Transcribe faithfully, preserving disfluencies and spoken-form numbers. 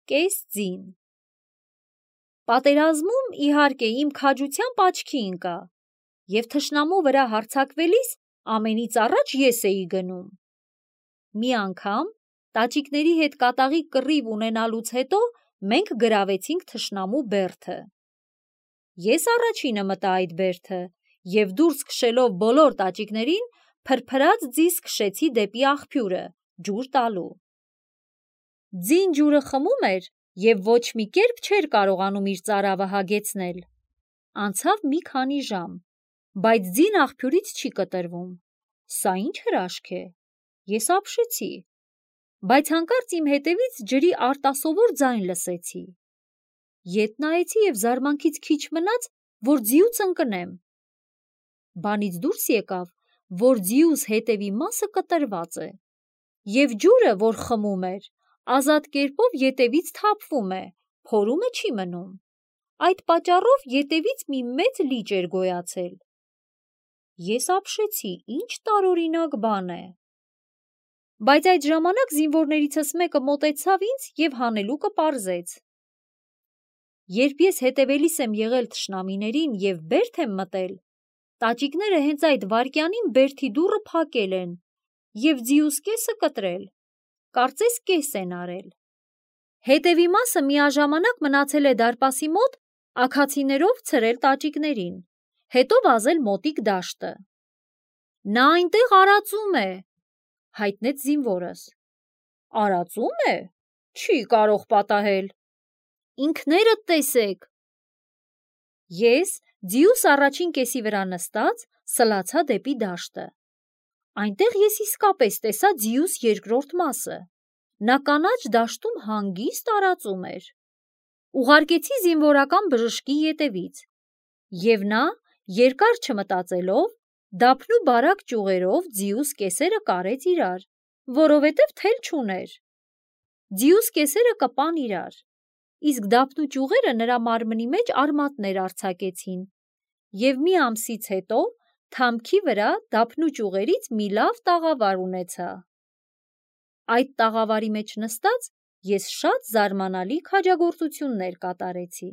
կես ձին։ Պատերազմում, իհարկե, իմ քաջությամբ աչքի ընկա, և թշնամու վրա հարձակվելիս ամենից առաջ ես էի գնում։ Մի անգամ տաճիկների հետ կատաղի կռիվ ունենալուց հետո մենք գրավեցինք թշնամու բերդը։ Ես առաջինը մտա այդ բերդը և դուրս քշելով բոլոր տաճիկներին փրփրած ձիզ քշեցի դեպի աղբյուրը, ջուր տալու։ Ձին ջուրը խմում էր և ոչ մի կերպ չէր կարողանում իր ծարավը հագեցնել։ Անցավ մի քանի ժամ, բայց ձին աղբյուրից չի կտրվում։ Սա ինչ հրաշք է։ Ես ապշեցի, բայց հանկարծ իմ հետևից ջրի արտասովոր ձայն լսեցի։ Ետ նայեցի և զարմանքից քիչ մնաց, որ ձիուց ընկնեմ։ Բանից դուրս եկավ, որ ձիուս հետևի մասը կտրված է, և ջուրը, որ խմում էր, ազատ կերպով ետևից թափվում է, փորումը չի մնում։ Այդ պատճառով ետևից մի մեծ լիճ էր գոյացել։ Ես ապշեցի, ինչ տարօրինակ բան է։ Բայց այդ ժամանակ զինվորներիցս մեկը մոտեցավ ինձ և հանելուկը պարզեց։ Երբ ես հետևելիս եմ եղել թշնամիներին և բերդ եմ մտել, տաճիկները հենց այդ վայրկյանին բերդի դուռը փակել են և ձիուս կեսը կտրել, կարծես կես են արել։ Հետևի մասը միաժամանակ մնացել է դարպասի մոտ աքացիներով ցրել տաճիկներին, հետո վազել մոտիկ դաշտը։ Նա այնտեղ արածում է, հայտնեց զինվորս։ Արածո՞ւմ է, չի կարող պատահել։ Ինքներդ տեսեք։ Ես ձիուս առաջին կեսի վրա նստած սլացա դեպի դաշտը։ Այնտեղ ես իսկապես տեսա ձիուս երկրորդ մասը։ Նա կանաչ դաշտում հանգիստ արածում էր։ Ուղարկեցի զինվորական բժշկի ետևից, և նա, երկար չմտածելով, դափնուբարակ ճյուղերով ձիուս կեսերը կարեց իրար, որովհետև թել չուներ։ Ձիուս կեսերը կպան իրար, իսկ դափնու ճյուղերը նրա մարմնի մեջ արմատներ արձակեցին, և մի ամսից հետո թամքի վրա դափնու ճյուղերից մի լավ տաղավար ունեցա։ Այդ տաղավարի մեջ նստած ես շատ զարմանալի քաջագործություններ կատարեցի։